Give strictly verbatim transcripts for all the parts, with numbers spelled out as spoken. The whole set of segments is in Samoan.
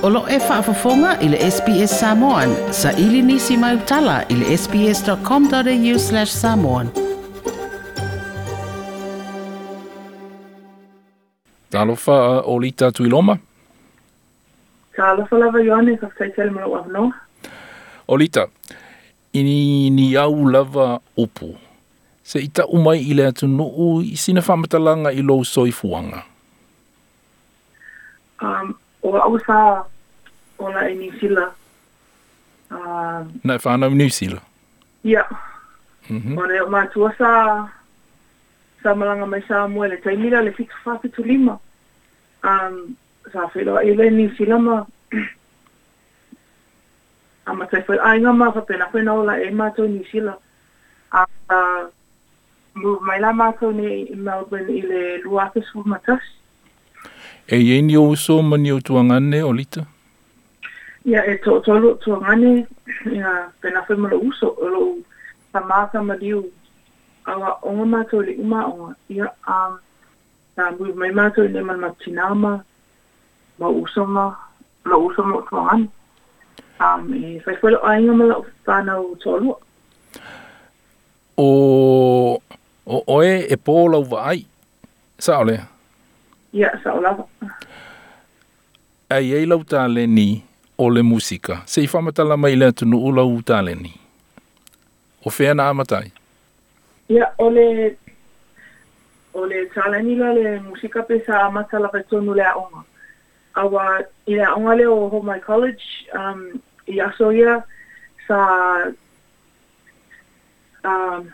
O lo e faafofoga i le S B S Samoan, sa ili nisi mai utala i le sbs.com.au slash samoan. Talofa Olita Tuiloma. Talofa lava Ioane, faafetai tele mo lou avanoa. Olita, ini ni au lava upu. Se ita umai i le atunuu i sina faamatalaga i lou soifuaga. Um, o au sa ola i Niu Sila. Um, Na e whanau Niu Sila? Ia. Mm-hmm. O le o matua sa, sa malanga mai sa mua le taimila le fitu wha fitu lima. Um, sa whailoa i le Niu Sila ma a matai whai ainga ma whapena whai ola e mātou Niu Sila. A, a move mai la mātou ni i Melbourne i le lua afe sefulu ma tasi. E iai ni ou uso ma ni ou tuagane, Olita? Ia, e toatolu o tuagane, ia, pena whai ma lou uso, o lou tamā tamaliu, aua onga mātou le uma onga. Ia, um, sa move mai mātou i le ma tina ma, ma uso ma, lou uso ma o tuagane. Um, e whai whai lou ainga ma lou whanau toalua. O, o oe e pō lau vaai, sao lea? Ia, sao lava. Ai ei lau taleni o le musika. Se i faamatala mai le atunuu lau taleni. O fea na amatai? Ia, o le, o le taleni la le musika pe sa amata lava tonu le aoga. Aua i le aoga lea o Homai College, um, i aso ia, sa, um,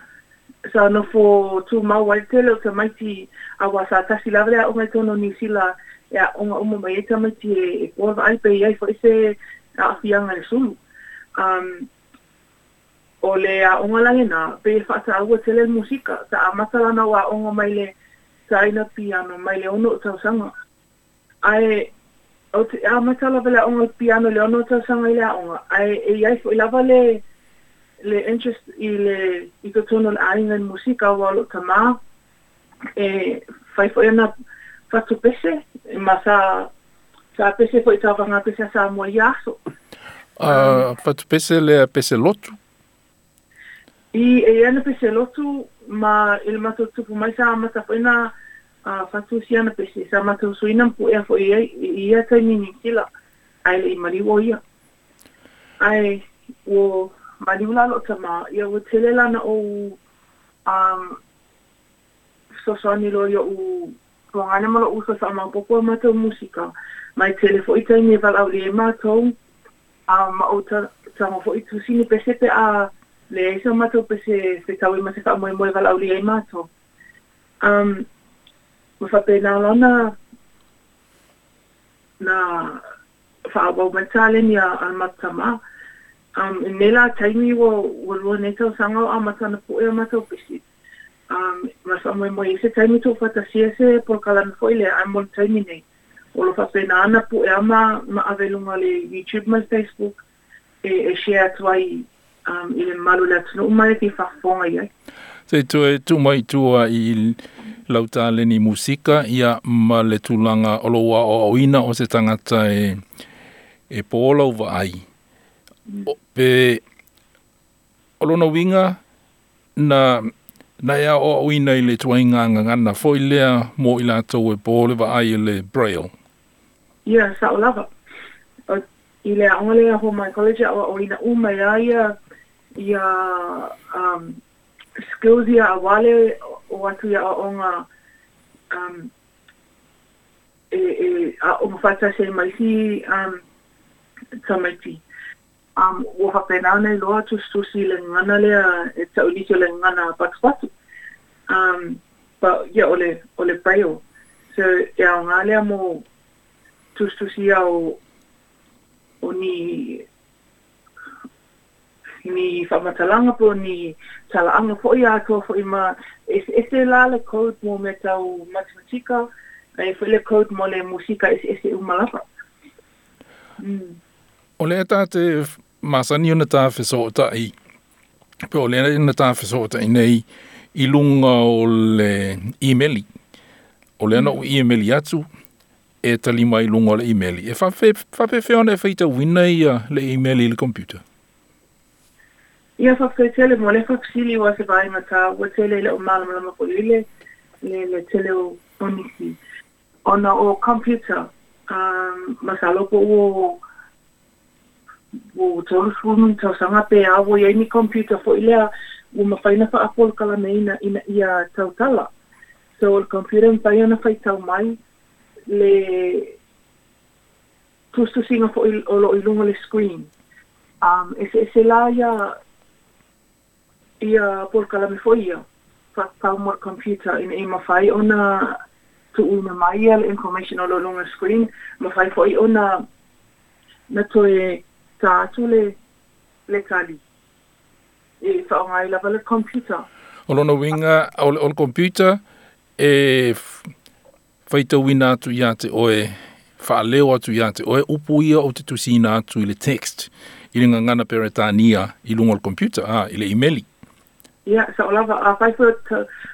sa nofo tumau ai tele o tamaiti aua sa tasi lava le aoga i tonu o Niu Sila e aoga uma mai ai tamaiti e, e poa vaai pe iai fo'i se aafiaga le sulu. Um, o le aoga lagena pe e faataua tele le musika sa amata lana o aoga mai le taina piano mai le ono o tausaga. Ae o te amata lava le aoga piano le ono o tausaga i le aoga ae e iai fo'i lava le le interest i le i totonu o le aiga i le musika aua o loo tamā e fai fo'i ana fatu pese ma sa sa pese fo'i tauvaga pese a Samoa i aso. Uh, fatu pese lea pese lotu? I e ana pese lotu ma i le matou tupu mai sa amata fo'i na uh, fatusi ana pese sa matou suina ma puea fo'i ai i ia taimi Niu Sila ae le'i maliu o ia. Ae ua maliu la loo tamā ia ua tele lana ou um, fesoasoani loa io'u tuagane ma lou uso e faamaopoopo a matou musika mai tele fo'i taimi e valaaulia ai matou um, ma ou tago fo'i tusini pese pe a leai sa matou pese fetaui ma se faamoemoe valaaulia ai matou. Um, ma faapena lana na faaauau mai taleni a, a le matou tamā. Um, i nei la taimi ua, ua lua nei tausaga o amata na pu'e a matou pese. Um, ma faamoemoe i se taimi tuufaatasia se polokalame fo'i lea ae mo le taimi nei. O lo faapena ana pu'e a ma, ma ave luga le YouTube ma le Facebook e, e share atu ai um, i le mamalu o le atunuu ma e fia faafofoga i ai. Se toe tuu mai tua i lau taleni musika ia ma le tulaga o lou aoaoina o se tagata e, e pō lau vaai. O, pe o lona uiga na na e aoaoina i le tuaiga gagana fo'i lea mo i latou e pō le vaai i le Braille. Ia, sao lava. O, i le aoga lea Homai College aoaoina uma ia ia ia um, skills ia auā le o atu ia aoaoga um, e, e aoga faatasi ai ma isi um, tamaiti. Um, ua faapena ona iloa tusitusi i le gagana lea e ta'ulisi o le gagana patupatu. Um, but ia o le, o le Braille. So e aogā lea mo tusitusi ia o, o ni ni faamatalaga po o ni talaaga fo'i atoa fo'i ma eseese la le code mo mea tau matematika ae fo'i le code mo le musika eseese uma lava. Mm. O lea tate masani ona tā fesoota'i pe o lea na tā fesoota'i nei i luga o le imeli. O lea na ou imeli atu e tali mai luga o le imeli. E faapefea ona e faitauina ia le imeli i le computer? Ia faafetai tele mo le faafesili ua se vaega taua tele i le o malamalama foi i le le le tele o o nisi. Ona o computer, um, masalo po ua ua tolusefulu ma ni tausaga pe a ua iai ni computer foi lea ua mafai ona faapolokalameina ina ia tautala. So o le computer e mafai ona faitau mai le tusitusiga foi o loo i luga o le screen. Um, eseese la ia ia polokalame foi ia faatatau mo le computer ina ia mafai ona tuuina mai ia le information o loo i luga o le screen, mafai foi ona na toe ta atu le le tali e faaaoga ai lava le computer. O lona uiga o le, o le computer e faitauina atu ia te oe, faaleo atu ia te oe upu ia ou te tusiina atu i le text i le gagana Peretania i luga o le computer, a, i le imeli. Ia, sao lava, afai foi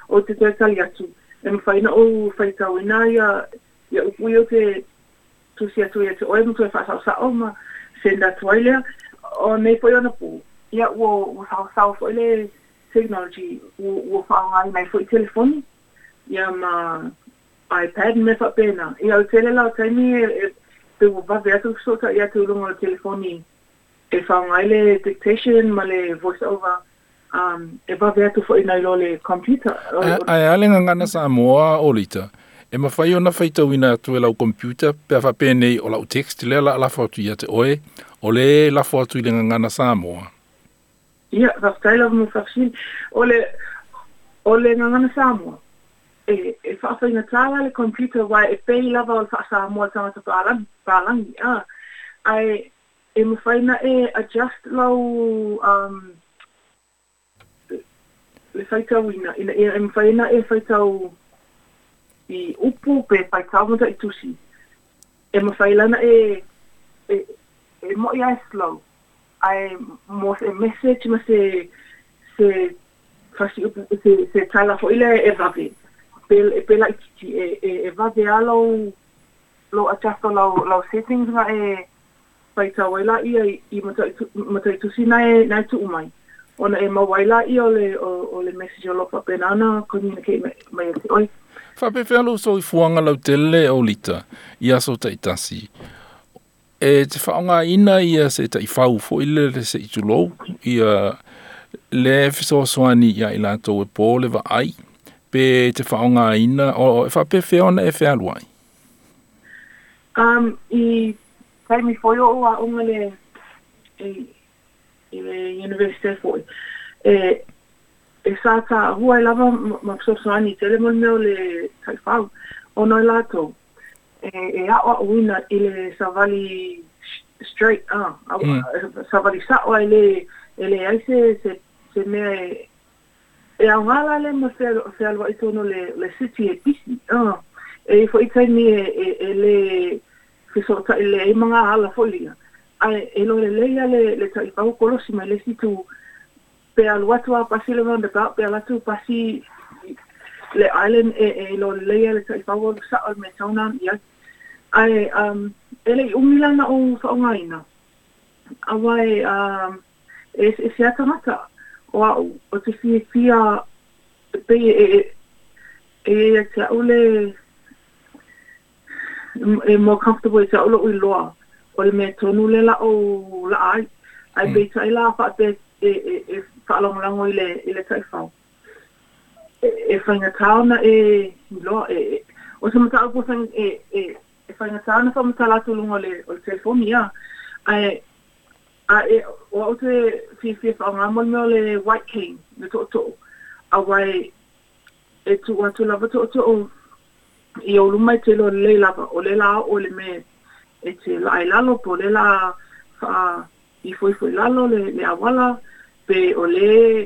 o te toe tali atu, e mafai ona ou faitauina ia ia upu ia ou te tusi atu ia te oe ma toe faasaosao ma send atu ai lea. O nei foi ona pō, ia ua ua saosao foi le technology ua ua faaaogaina ai foi telefoni, ia ma iPad ma mea faapena. Ia o le tele la o taimi e pe ua vave atu fesootai atu i luga o le telefoni e faaaoga ai le dictation ma le voice over um, e vave atu foi nai lo le computer. Ae a le gagana Samoa o Lita, e mafai ona faitauina atu e lau computer pe a faapenei o lau text lea la lafo atu ia te oe, o le lafo atu i le gagana Samoa. Ia, faafetai lava mo le faafesili. O le, o le gagana Samoa, e, e faafaigata la le computer aua e pei lava o le faasamoa le tagata palagi, palagi, a. Ae e mafai ona e adjust lau um, le faitauina ina ia e mafai ona e faitau i upu pe faitau ma taitusi. E mafai la ona e e e mo'i lava e slow, ae mo se message ma se se fasiupu se se tala foi lea e vave pe pe laitiiti e e e vave lava lou lou adjust o lau lau settings na e faitau ai laia i mataitusi na e na e tuu mai ona e maua ai laia o le o le message o loo faapena ona communicate mai ia te oe. Faapefea lou soifuaga lautele o Lita i aso taitasi e te faaaogaina ia se taifau foi lele se i tulou ia le fesoasoani ia i latou e po le vaai pe te faaaogaina o e faapefea ona e fealuai? Um, i taimi foi o ou aoga le i, i le university foi, e e sa taua ai lava ma fesoasoani tele mo le mea o le taifau, ona o latou e e aoaoina i le savali straight, ah, mm. savali sao ai le e leai se se se mea e e aoga la le ma fealuai tonu o le le city e pisi, ah, e i ai foi taimi e e e le fesootai lelei ai ma gaala foi ia, ae e iloa lelei lava le le taifau kolosi mai le isi itu pe alu atu a pasi le roundabout pe alu atu pasi le island e e iloa lelei lava le taifau o le sao le mea e tatau ona alu i ai. Ae um e le i umi la ona ou faaaogaina aua e um e eseese lava tagata o a'u ou te fiafia e pei e e e ia te a'u le e more comfortable ia te a'u lo'u iloa o le mea tonu lea la ou la'a ai. Ae peitai la faapea e e e faalagolago i le i le taifau e e faigata ona e iloa e o se mataupu e e e faigata ona faamatala atu i luga o le o le telefoni a ae a e o a'u te fiafia faaaoga mo le mea o le white cane le tootoo aua e e tuu atu lava tootoo i ou luma e te iloa lelei lava o lea la oo i le mea e te laa i lalo po o lea la faa ifoifo i lalo le le auala pe o lea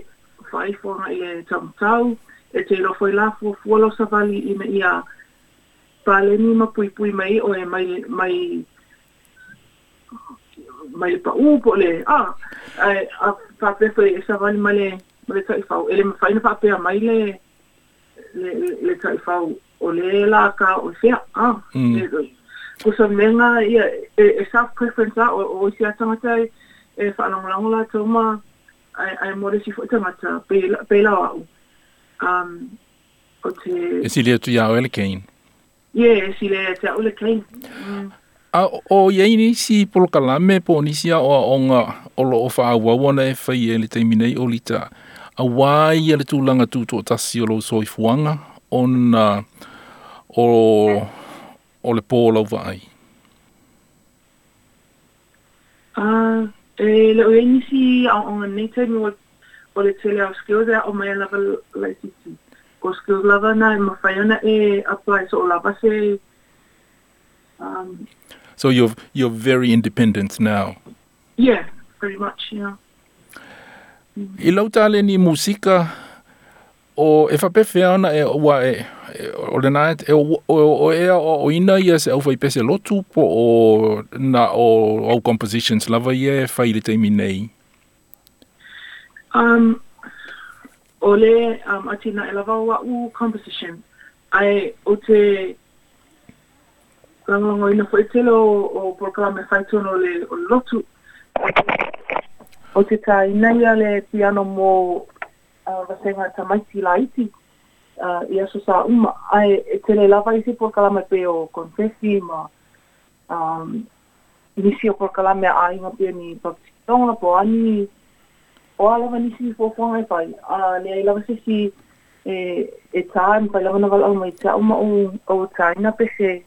faaifo agai i le taumatau e te iloa foi la fuafua lau savali ina ia paleni ma puipui mai ai oe mai mai mai le pau po o le a ae a faapea foi e savali ma le ma le taifau e le mafai ona faapea mai le le le taifau o le la ka o fea a. Mm. Ko menga ia e, e self preference a o o isi a tagata e, e faalagolago latou ma ae ae mo le isi foʻi tagata pei pei la o aʻu um o te E sili atu iā oe le cane. Yeah, e sili ia te aʻu le cane. Mm. A o iai nisi polokalame po o nisi aʻoaʻoga o loo faaauau ona e faia i le taimi nei o Lita auā ia le tulaga tutoʻatasi o lou soifuaga ona o o le pō lau vaai. Ah, e le o iai nisi aoaoga nei taimi o o le tele o skills e aʻo mai ana lava laitiiti. O skills lava na e mafai ona e apply so o lava se um So you're you're very independent now. Yeah, pretty much, yeah. I lau taleni musika o e faapefea ona e ua e o lena e o o e aoaoina ia se aufaipese lotu po o na o au compositions lava ia e fai i le taimi nei. Um o le um atinae lava o aʻu composition ae ou te lagolagoina foʻi tele o o polokalame fai tonu o le o le lotu. Ou te tāina ia le piano mo uh, vasega tamaiti laiti uh, i aso sa uma ae e tele lava isi polokalame pei o confessi ma um, nisi o polokalame a aiga pei ni baptisitoga po o ani o a lava nisi fuafuaga e fai a leai lava se isi e e tā e mafai lava ona valaau mai te aʻu ma ou ou tāina pese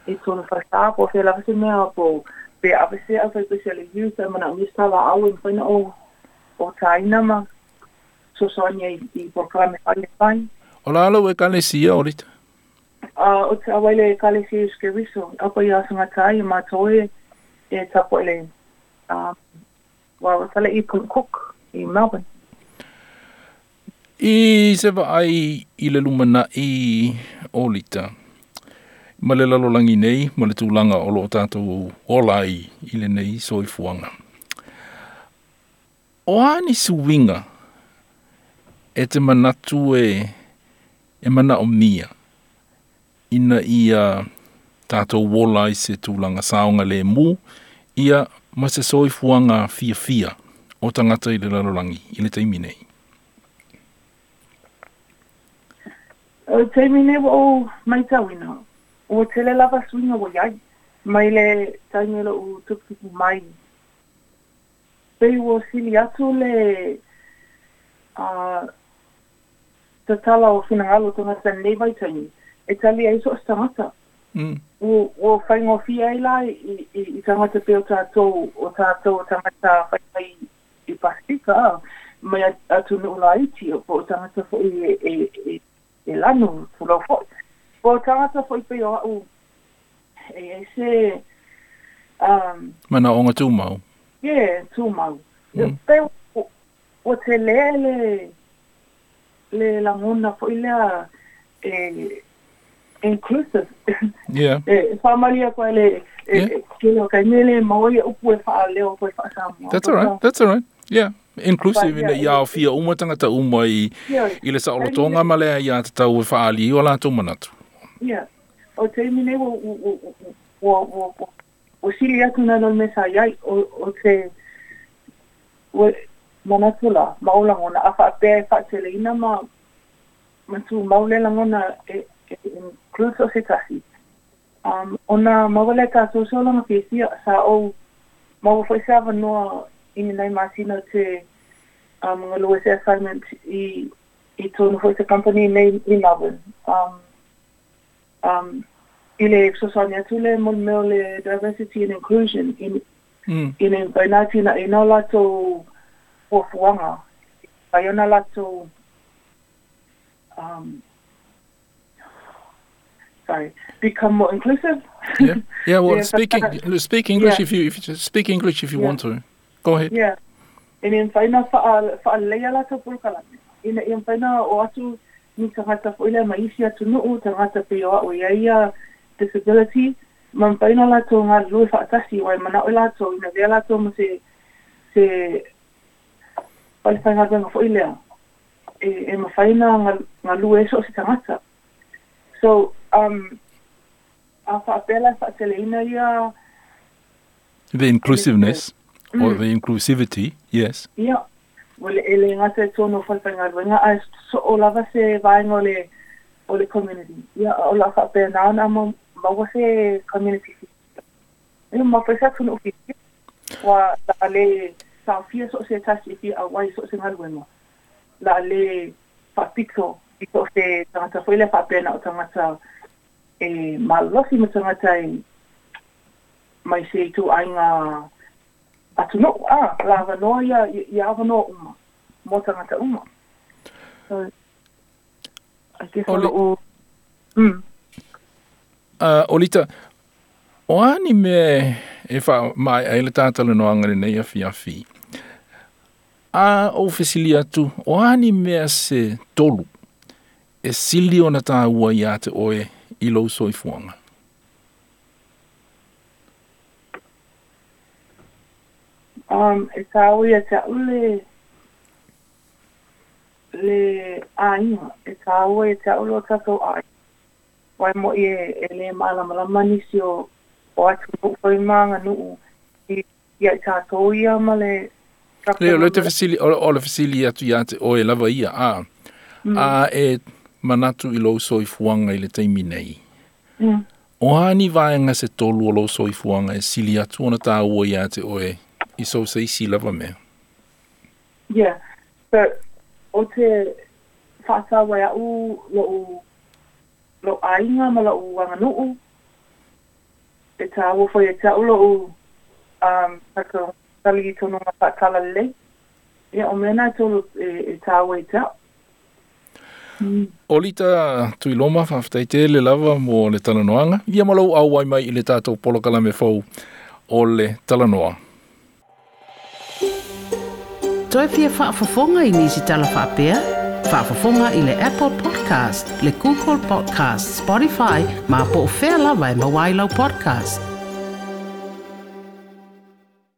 e tonu faasā po o fea lava se mea po pe ave se aufaipese a le youth ae manaomia se talaaau e mafai ona ou ou tāina ma fesoasoani ai i polokalame fai e fai. O le a lau Ekalesia o Lita? A o te auai le Ekalesia Iesu Keriso, apa ia asogatā ia matou e e tapuai le um wa fale i Point Cook i Melbourne. I se vaai i le lumanai o Lita ma le lalolagi nei ma le tulaga o loo tatou ola ai i lenei soifuaga. O a ni suiga e te manatu e e manaomia ina ia tatou ola ai se tulaga saogalēmū ia ma se soifuaga fiafia o tagata i le lalolagi i le taimi nei. O le taimi nei ua ou matauina, ua tele lava suiga ua iai mai le taimi o loʻu tuputupu mai. Pei ua sili atu le uh, tatala o finagalo o tagata i lenei vaitaimi e tali ai so o se tagata. Mm. Ua ua faigofie ai la i i i tagata pei o tatou o tatou o tagata faifai i Pasifika a mai atunuu laiti po o tagata foʻi e e e e lanu tulou foʻi. Po o tagata foʻi pei o aʻu e iai se um Manaʻoga tumau. Yeah, tumau. Mm. Pei ua telē le le lagona foʻi lea e inclusive. Yeah. E faamalie atu ai le e Yeah. e tele o taimi e le maua ia upu e faaleo foʻi faasamoa. That's all right. That's all right. Yeah. Inclusive But ina yeah, ia aofia uma tagata uma i yeah, i le saolotoga ma le aiātatau e faaali ai o latou manatu. Yeah. O taimi nei ua ua ua ua ua ua sili atu nai lo le mea sa iai o o te ua manatu la ma ou lagona a faapea e faateleina ma ma tumau le lagona e e include so o se tasi. Um ona maua lea tatou se olaga fiafia sa ou maua foʻi se avanoa i ni nai masina te um galue se assignment i i tonu foʻi se company nei i Melbourne. Um um i le fesoasoani atu le mo le mea o le diversity and inclusion i Mm. ina ia mafai ona atinaʻina o latou fuafuaga mafai ona latou um sorry, become more inclusive. Yeah. Yeah, well, Yeah, speak but- speak English Yeah. if you if you speak English if you Yeah. want to. Go ahead. Yeah. Ina ia mafai ona faa faaleleia latou polokalame ina ia mafai ona oo atu ni tagata foʻi lea ma isi atunuu tagata pei o aʻu e iai ia disability ma mafai ona latou galulue faatasi ua e manaʻo i latou ina avea latou ma se se falefaigaluega foʻi lea e e mafai ona galue ai so o se tagata. So um A faapea la e faateleina ia The inclusiveness mm. or the inclusivity, yes. Ia, ua le e lē gata i totonu o falefaigaluega ae soo lava se vaega o le o le community. Ia o le a faapena ona maua se community ia ma foi se atunuu fiafia ua la lē taofia so o se tasi e fia auai so o se galuega la lē faapito i so o se tagata foi lea faapea na o tagata e malolosi ma tagata e mai se ituaiga atunuu a la avanoa ia ia avanoa uma mo tagata uma. So I guess o loo mm. Uh, Olita, o a ni mea e faamaea ai le tatalanoaga lenei afiafi? A ou fesili atu, o a ni mea se tolu e sili ona tāua iā te oe i lou soifuaga? Um, e tāua ia te a'u le le aiga, e tāua ia te a'u lo tatou aiga. Uae mo'i e, e lē malamalama nisi o o atunuu foi ma aganuu i ia i tatou ia ma le Le o le te fesili o, o le fesili atu iā te oe lava ia a mm. a e manatu i lou soifuaga i le taimi nei. Mm. O a ni vaega se tolu o lou soifuaga e sili atu ona tāua iā te oe i so se isi lava mea? Yeah. So, o te faataua e a'u lo'u lo'u aiga ma lo'u aganuu e tāua foi e te a'u lo'u um tatou talitonuga faatalalelei ia o mea na e tolu e, e tāua e te a'u. Mm. Olita Tuiloma, faafetai tele lava mo le talanoaga. Ia ma lou auai mai i le tatou polokalame fou o le Talanoa. Toe fia faafofoga i nisi tala faapea? Faafofoga i le Apple Podcast, le Google Podcast, Spotify, ma po o fea lava e maua ai lau podcast.